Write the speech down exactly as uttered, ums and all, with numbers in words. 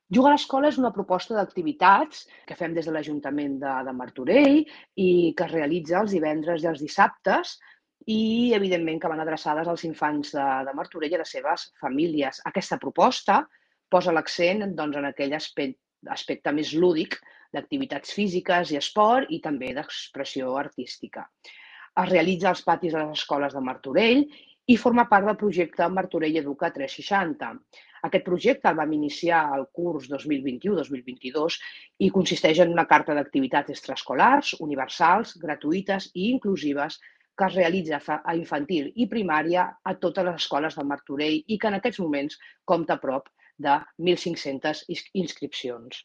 Juga a l'escola és una proposta d'activitats que fem des de l'Ajuntament de, de Martorell i que es realitza els divendres i els dissabtes i, evidentment, que van adreçades als infants de, de Martorell i a les seves famílies. Aquesta proposta posa l'accent doncs, en aquell aspecte, aspecte més lúdic d'activitats físiques i esport i també d'expressió artística. Es realitza als patis de les escoles de Martorell i forma part del projecte Martorell Educa tres seixanta. Aquest projecte el vam iniciar al curs dos mil vint-i-u dos mil vint-i-dos i consisteix en una carta d'activitats extraescolars, universals, gratuïtes i inclusives que es realitza a infantil i primària a totes les escoles de Martorell i que en aquests moments compta a prop de mil cinc-centes inscripcions.